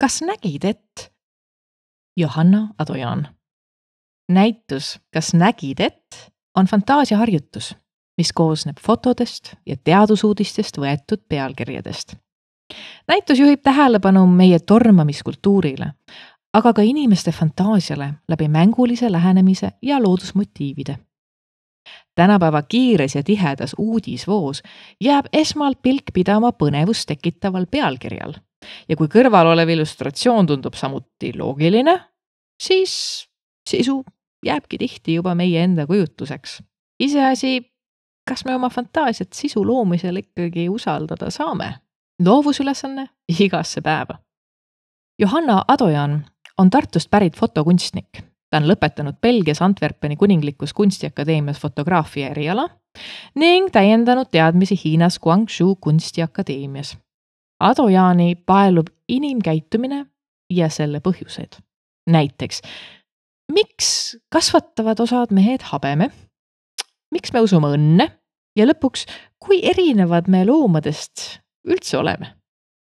Kas nägid, et Johanna Adojan? Näitus Kas nägid, et on fantaasiaharjutus, mis koosneb fotodest ja teadusuudistest võetud pealkirjadest. Näitus juhib tähelepanu meie tormamiskultuurile, aga ka inimeste fantaasiale läbi mängulise lähenemise ja loodusmotiivide. Tänapäeva kiires ja tihedas uudisvoos jääb esmalt pilk pidama põnevust tekitaval pealkirjal. Ja kui kõrval olev illustratsioon tundub samuti loogiline, siis sisu jääbki tihti juba meie enda kujutuseks. Iseasi, kas me oma fantaasiat sisu loomisel ikkagi usaldada saame? Loovusülesanne igasse päeva. Johanna Adojan on Tartust pärit fotokunstnik. Ta on lõpetanud Belgias Antwerpeni kuninglikus kunstiakadeemias fotograafia eriala ning täiendanud teadmisi Hiinas Guangzhou kunstiakadeemias. Adojani paelub inimkäitumine ja selle põhjused. Näiteks, miks kasvatavad osad mehed habeme? Miks me usume õnne? Ja lõpuks, kui erinevad me loomadest üldse oleme?